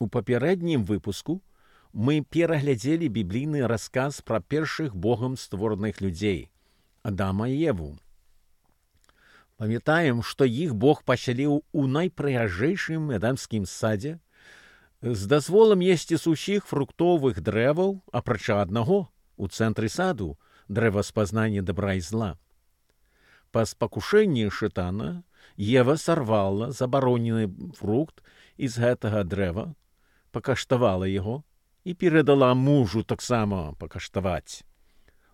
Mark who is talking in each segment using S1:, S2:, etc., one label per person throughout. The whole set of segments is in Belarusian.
S1: У папярэднім выпуску мы пераглядзелі біблійны расказ пра першых Богам створаных людзей – Адама і Еву. Памятаем, што іх Бог пасяліў у найпрыгажэйшым эдэмскім садзе з дазволам есці з усіх фруктовых дрэваў, апрача аднаго, у цэнтры саду, дрэва спазнання добра і зла. Па спакушэнні шайтана Ева сарвала забаронены фрукт з гэтага дрэва, пакаштавала яго і перадала мужу таксама пакаштаваць.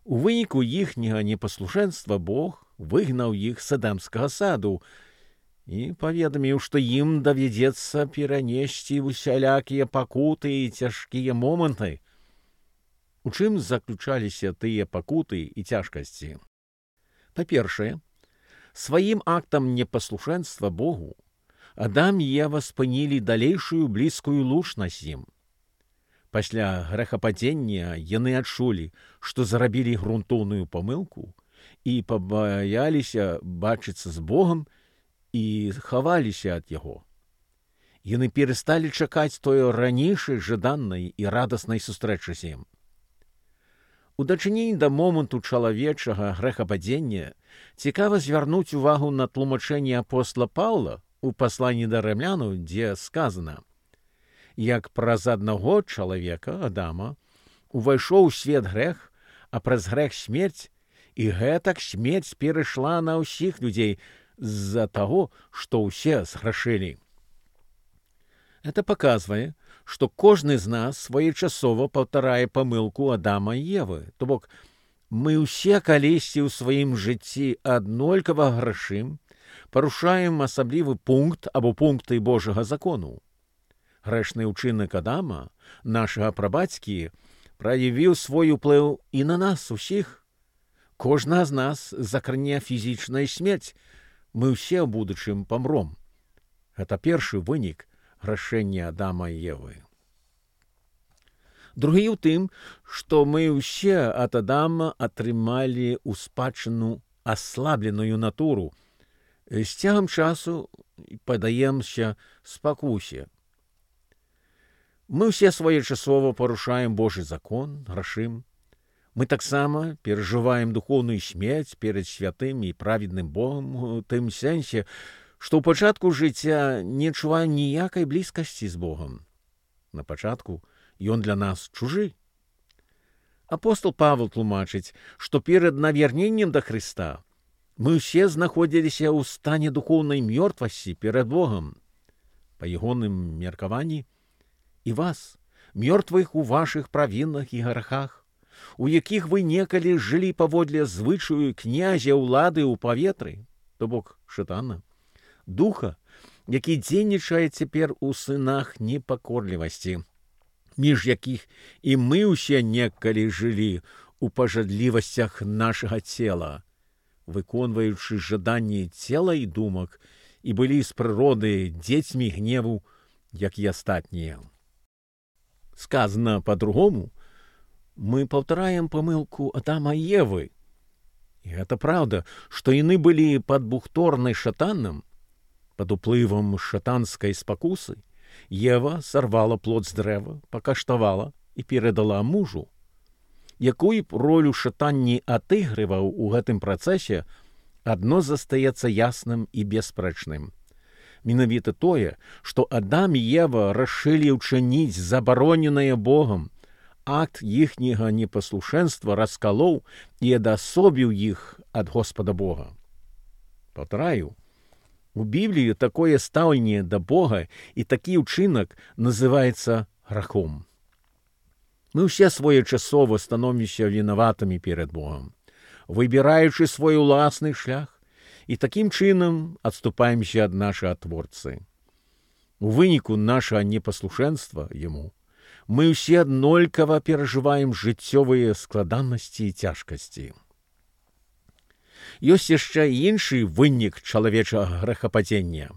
S1: У выніку іхняга непаслушэнства Бог выгнаў іх з эдэмскага саду і паведаміў, што ім давядзецца перанесці усялякія пакуты і цяжкія моманты. У чым заключаліся тыя пакуты і цяжкасці? Па-першае, сваім актам непаслушэнства Богу Адам і Ева спынілі далейшую блізкую лучнасць ім. Пасля грэхападзення яны адчулі, што зрабілі грунтоўную памылку і пабаяліся бачыцца з Богам і хаваліся ад яго. Яны перасталі чакаць тое ранейшай жаданай і радаснай сустрэчы з ім. У дачыненні да моманту чалавечага грэхападзення цікава звярнуць увагу на тлумачэнне апостола Паўла у пасланні да рымлянаў, дзе сказана: «Як праз аднаго чалавека, Адама, увайшоў у свет грэх, а праз грэх смерць, і гэтак смерць перайшла на ўсіх людзей з-за таго, што ўсе зграшылі». Это паказвае, што кожны з нас своечасова паўтарае памылку Адама і Евы. То бок, мы ўсе калісьці ў сваім жыцці аднолькава грашым, парушаем асаблівы пункт або пункты Божага закону. Грэшны ўчынак Адама, нашага прабацькі, праявіў свой уплыў і на нас усіх. Кожна з нас закране фізічная смерць. Мы ўсе ў будучым памром. Гэта першы вынік грашэння Адама і Евы. Другі ў тым, што мы ўсе ад Адама атрымалі ў спадчыну аслабленую натуру. З цягам часу падаемся спакусе. Мы ўсе своечасова парушаем Божы закон, грашым. Мы таксама перажываем духоўную смерць перад святым і праведным Богам у тым сэнсе, што ў пачатку жыцця не адчуваем ніякай блізкасці з Богам. На пачатку ён для нас чужы. Апостол Павел тлумачыць, што перад навярненнем да Хрыста мы ўсе знаходзіліся ў стане духоўнай мёртвасці перад Богам. Па ягоным меркаванні, і вас, мёртвых у вашых правінах і грахах, у якіх вы некалі жылі паводле звычаю князя ўлады ў паветры, то бок шайтана, духа, які дзейнічае цяпер у сынах непакорлівасці, між якіх і мы ўсе некалі жылі у пажадлівасцях нашага цела, выконваючы жаданні цела і думак, і былі з прыроды дзецьмі гневу, як і астатнія. Сказана па-другому, мы паўтараем памылку Адама і Евы. І гэта праўда, што яны былі пад бухторнай шатанам, пад уплывам шатанскай спакусы. Ева сарвала плод з дрэва, пакаштавала і перадала мужу. Якую б ролю шатан не адыгрываў у гэтым працэсе, адно застаецца ясным і беспрэчным. Менавіта тое, што Адам і Ева рашылі ўчыніць забароненае Богам, акт іхняга непаслушэнства раскалоў і адасобіў іх ад Господа Бога. Паўтараю, у Бібліі такое стаўленне да Бога і такі ўчынак называецца грахом. Мы ўсе своечасова становімся вінаватымі перад Богам, выбіраючы свой уласны шлях, і такім чынам адступаемся ад нашага Творцы. У выніку нашага непаслушэнства Яму мы ўсе аднолькава перажываем жыццёвыя складанасці і цяжкасці. Ёсць яшчэ іншы вынік чалавечага грэхападзення.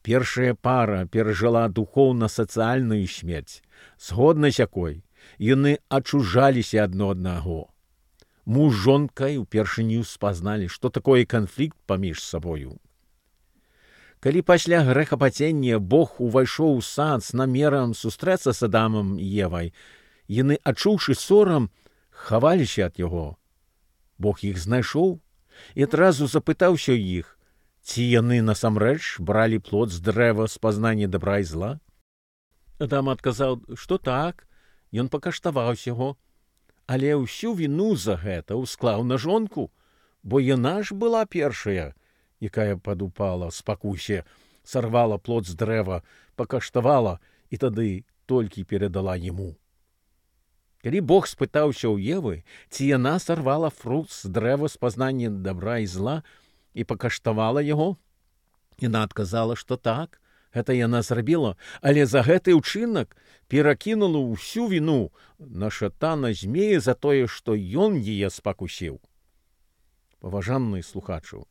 S1: Першая пара перажыла духоўна-сацыяльную смерць, згодна з якой яны адчужаліся адно аднаго. Муж з жонкай упершыню спазналі, што такое канфлікт паміж сабою. Калі пасля грэхападзення Бог увайшоў у сад з намерам сустрэцца з Адамам і Евай, яны, адчуўшы сорам, хаваліся ад яго. Бог іх знайшоў і адразу запытаўся ў іх, ці яны насамрэч бралі плод з дрэва з пазнання добра і зла? Адам адказаў, што так, ён пакаштаваўся яго, але ўсю віну за гэта ўсклаў на жонку, бо яна ж была першая, якая падупала в спакусе, сарвала плод з дрэва, пакаштавала і тады толькі перадала яму. Калі Бог спытаўся ў Евы, ці яна сарвала фрукт з дрэва з пазнання добра і зла і пакаштавала яго, яна адказала, што так, гэта яна зрабіла, але за гэты ўчынак перакінула ўсю віну на шатана змея за тое, што ён яе спакусіў. Паважаны слухачу,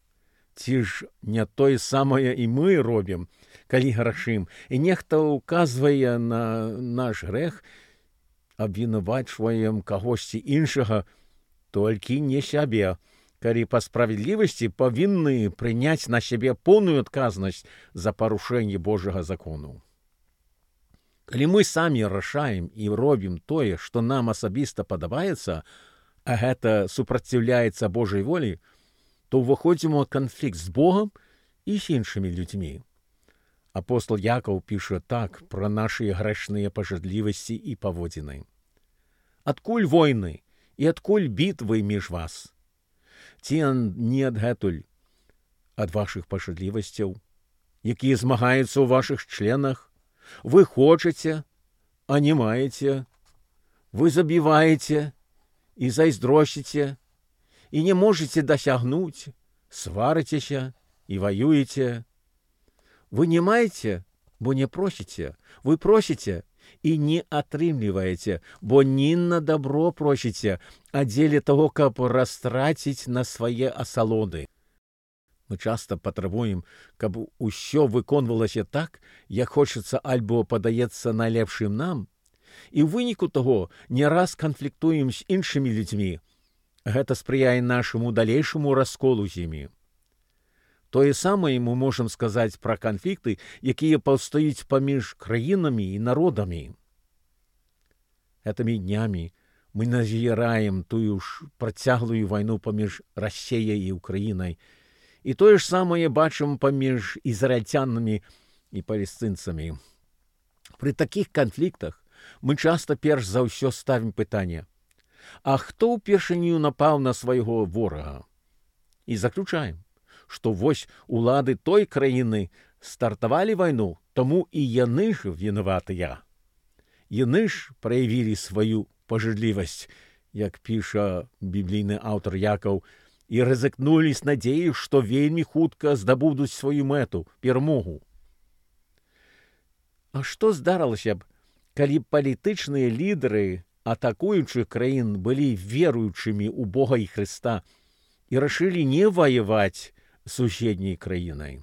S1: ці ж не тое самае і мы робім, калі грашым, і нехта ўказвае на наш грэх, абвінавачваем кагосьці іншага, толькі не сябе, калі па справядлівасці павінны прыняць на сябе поўную адказнасць за парушэнне Божага закону. Калі мы самі рашаем і робім тое, што нам асабіста падабаецца, а гэта супраціўляецца Божай волі, то ўваходзім у канфлікт з Богам і з іншымі людзьмі. Апостол Якаў піша так пра нашы грэшныя пажадлівасці і паводзіны. Адкуль войны і адкуль бітвы між вас? Ці не адгэтуль ад вашых пажадлівасцяў, якія змагаюцца ў вашых членах? Вы хочаце, а не маеце. Вы забіваеце і зайздросціце, і не можаце дасягнуць, сварыцеся і ваюеце. Вы не маеце, бо не просіце, вы просіце і не атрымліваеце, бо не на добро просіце, а дзеля таго, каб растраціць на свае асалоды. Мы часта патрабуем, каб усё выконвалася так, як хочацца альбо падаецца найлепшым нам, і ў выніку таго не раз канфліктуем з іншымі людзьмі. Гэта спрыяе нашаму далейшаму расколу з імі. Тое самае мы можам сказаць пра канфлікты, якія паўстаюць паміж краінамі і народамі. Гэтымі днямі мы назіраем тую ж працяглую вайну паміж Расіяй і Украінай, і тое ж самае бачым паміж ізраільцянамі і палестынцамі. Пры такіх канфліктах мы часта перш за ўсё ставім пытанне: а хто ўпершыню напаў на свайго ворага? І заключаем, што вось улады той краіны стартавалі вайну, таму і яны ж вінаватыя. Яны ж праявілі сваю пажадлівасць, як піша біблійны аўтар Якаў, і рызыкнулі з надзеяй, што вельмі хутка здабудуць сваю мэту, перамогу. А што здарылася б, калі палітычныя лідары атакуючых краін былі веруючымі ў Бога і Хрыста і рашылі не ваяваць суседняй краінай?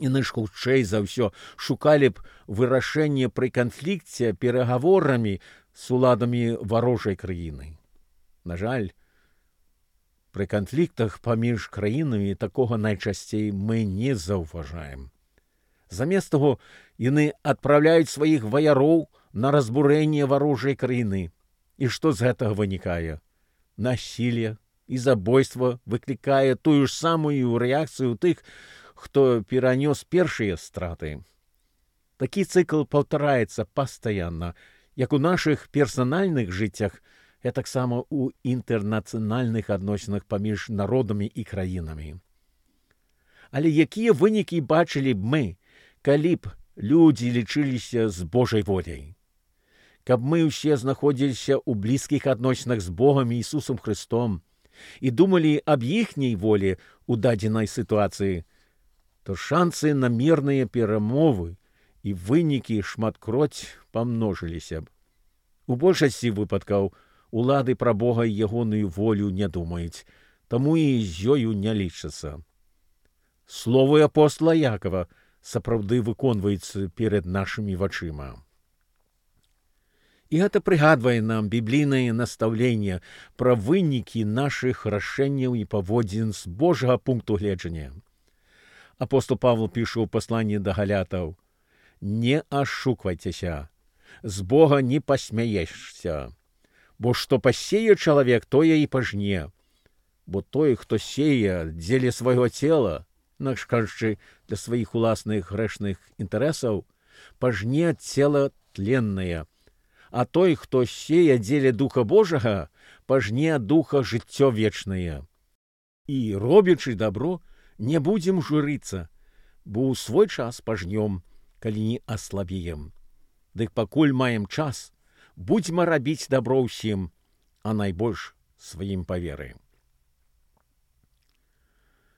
S1: Яны ж хутчэй за ўсё шукалі б вырашэнне пры канфлікце перагаворамі з уладамі варожай краіны. На жаль, пры канфліктах паміж краінамі такога найчасцей мы не заўважаем. Замест таго, яны адпраўляюць сваіх ваяроў на разбурэнне варожай краіны. І што з гэтага вынікае? Насілле і забойства выклікае тую ж самую рэакцыю тых, хто перанёс першыя страты. Такі цыкл паўтараецца пастаянна, як у нашых персанальных жыццях, і таксама ў інтэрнацыянальных адносінах паміж народамі і краінамі. Але якія вынікі бачылі б мы, калі б людзі лічыліся з Божай воляй? Каб мы ўсе знаходзіліся ў блізкіх адносінах з Богам і Ісусам Хрыстом і думалі аб іхняй волі ў дадзенай сітуацыі, то шансы на мірныя перамовы і вынікі шматкроць памножыліся б. У большасці выпадкаў улады пра Бога і ягоную волю не думаюць, таму і з ёю не лічацца. Словы апостола Якова сапраўды выконваюцца перад нашымі вачыма. І гэта прыгадвае нам біблійнае настаўленне пра вынікі нашых рашэнняў і паводзін з Божага пункту гледжання. Апостол Павел піша ў пасланні да галятаў: «Не ашуквайцеся, з Бога не пасмяешся, бо што пасее чалавек, тое і пажне. Бо той, хто сеє дзеля свайго цела, інакш кажучы, для сваіх уласных грэшных інтарэсаў, пажне цела тленнае, а той, хто сеє дзеля Духа Божага, пажне духа жыццё вечнае. І, робячы дабро, не будзем журыцца, бо ў свой час пажнём, калі не аслабеем. Дык пакуль маем час, будзьма рабіць дабро ўсім, а найбольш сваім па веры».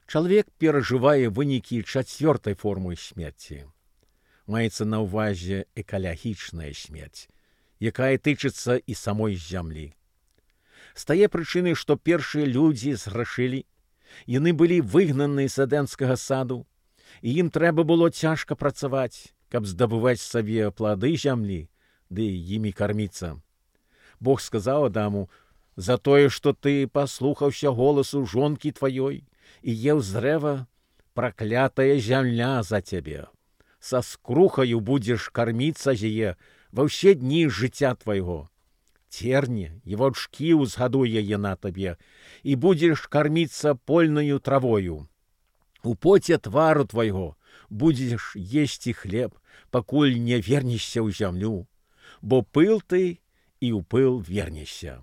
S1: Чалавек перажывае вынікі чацвёртай формы смерці. Маецца на ўвазе экалагічная смерць, якая тычыцца і самой зямлі. З тае прычыны, што першыя людзі зграшылі, яны былі выгнаны з эдэнскага саду, і ім трэба было цяжка працаваць, каб здабываць сабе плады зямлі, ды імі карміцца. Бог сказаў Адаму: «За тое, што ты паслухаўся голасу жонкі тваёй і еў з дрэва, праклятая зямля за цябе. Са скрухаю будзеш карміцца з яе ва ўсе дні жыцця твайго. Терне і ваўчкі ўзгадуе яна табе, і будзеш карміцца польнаю травою. У поце твару твайго будзеш есці хлеб, пакуль не вернешся ў зямлю, бо пыл ты і ў пыл вернешся».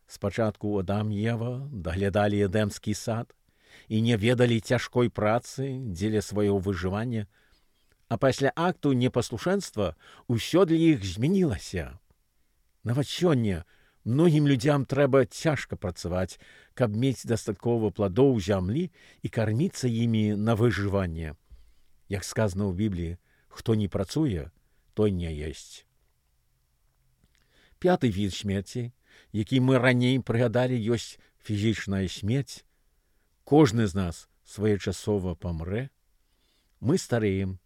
S1: Спачатку Адам і Ева даглядалі эдэмскі сад і не ведалі цяжкой працы дзеля свайго выжывання, а пасля акту непаслушэнства ўсё для іх змянілася. Нават сёння многім людзям трэба цяжка працаваць, каб мець дастаткова пладоў зямлі і карміцца імі на выжыванне. Як сказано ў Бібліі, хто не працуе, той не есць. Пяты від смерці, які мы раней прыгадалі, ёсць фізічная смерць. Кожны з нас своечасова памрэ. Мы стареем,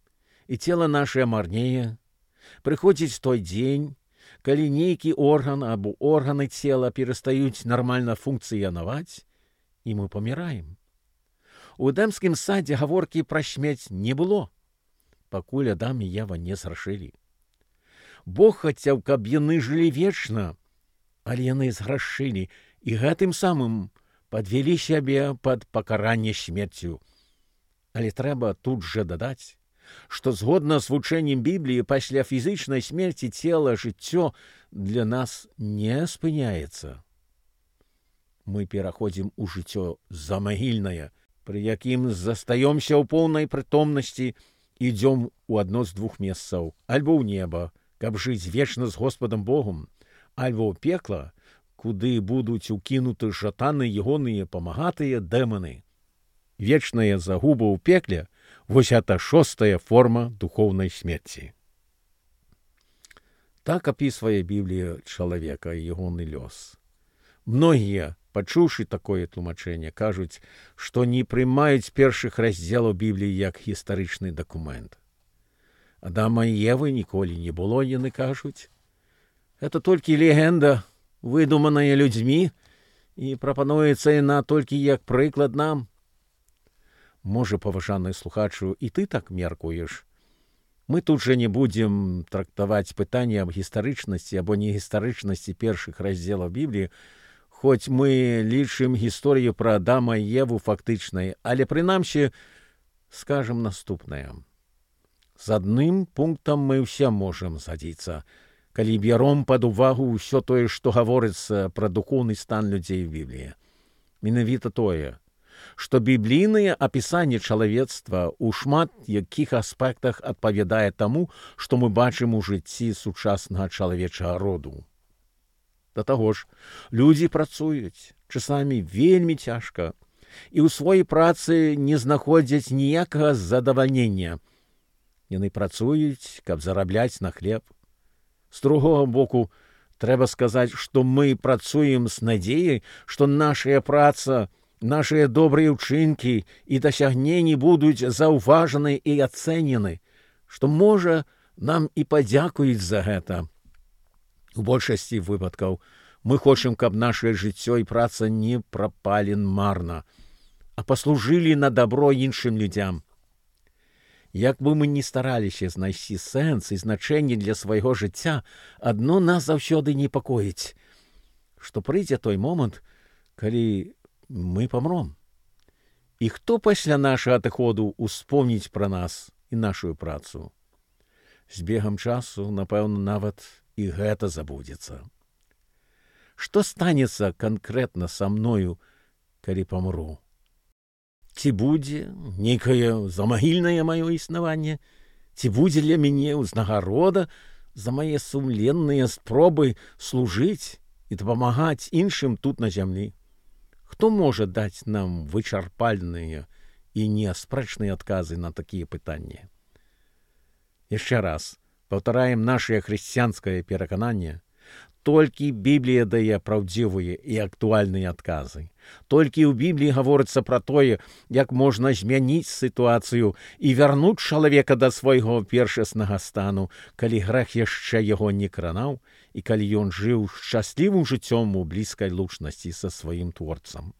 S1: і цела нашае марнее. Прыходзіць той дзень, калі нейкі орган або органы цела перастаюць нармальна функцыянаваць, і мы паміраем. У эдэмскім садзе гаворкі пра смерць не было, пакуль Адам і Ева не зграшылі. Бог хацеў, каб яны жылі вечна, але яны зграшылі і гэтым самым падвялі сябе пад пакаранне смерцю. Але трэба тут жа дадаць, што згодна з вучэннем Бібліі пасля фізічнай смерці цела жыццё для нас не спыняецца. Мы пераходзім у жыццё замагільнае, пры якім застаёмся ў поўнай прытомнасці, ідзём у адно з двух месцаў, альбо ў неба, каб жыць вечна з Господам Богом, альбо ў пекла, куды будуць укінуты шатаны ягоныя памагатыя дэманы. Вечная загуба ў пекле — вось гэта шостая форма духоўнай смерці. Так апісвае Біблія чалавека і ягоны лёс. Многія, пачуўшы такое тлумачэнне, кажуць, што не прымаюць першых раздзелаў Бібліі як гістарычны дакумент. Адама і Евы ніколі не было, яны кажуць. Гэта толькі легенда, выдуманая людзьмі, і прапануецца яна толькі як прыклад нам. Можа, паважаны слухачу, і ты так меркуеш. Мы тут жа не будзем трактаваць пытанне аб гістарычнасці або негістарычнасці першых раздзелаў Бібліі, хоць мы лічым гісторыю пра Адама і Еву фактычнай, але прынамсі скажам наступнае. З адным пунктам мы ўсе можам згадзіцца, калі бяром пад увагу ўсё тое, што гаворыцца пра духоўны стан людзей у Бібліі. Менавіта тое, што біблійнае апісанне чалавецтва ў шмат якіх аспектах адпавядае таму, што мы бачым у жыцці сучаснага чалавечага роду. Да таго ж, людзі працуюць, часамі вельмі цяжка, і ў сваёй працы не знаходзяць ніякага задавальнення. Яны працуюць, каб зарабляць на хлеб. З другога боку, трэба сказаць, што мы працуем з надзеяй, што нашая праца, нашыя добрыя ўчынкі і дасягненні будуць заўважаны і ацэнены, што, можа, нам і падзякуюць за гэта. У большасці выпадкаў мы хочам, каб нашае жыццё і праца не прапалі марна, а паслужылі на дабро іншым людзям. Як бы мы ні стараліся знайсці сэнс і значэнне для свайго жыцця, адно нас заўсёды непакоіць, што прыйдзе той момант, калі мы памром. І хто пасля нашага адыходу успомніць пра нас і нашую працу? З бегам часу, напэўна, нават і гэта забудзецца. Што станецца канкрэтна са мною, калі памру? Ці будзе нейкае замагільнае маё існаванне? Ці будзе для мяне ўзнагарода за мае сумленныя спробы служыць і дапамагаць іншым тут на зямлі? Хто можа даць нам вычарпальныя і неаспрэчныя адказы на такія пытанні? Яшчэ раз паўтараем нашае хрысціянскае перакананне. Толькі Біблія дае праўдзівыя і актуальныя адказы. Толькі ў Бібліі гаворыцца пра тое, як можна змяніць сітуацыю і вярнуць чалавека да свайго першаснага стану, калі грэх яшчэ яго не кранаў і калі ён жыў шчаслівым жыццём у блізкай лучнасці са сваім творцам.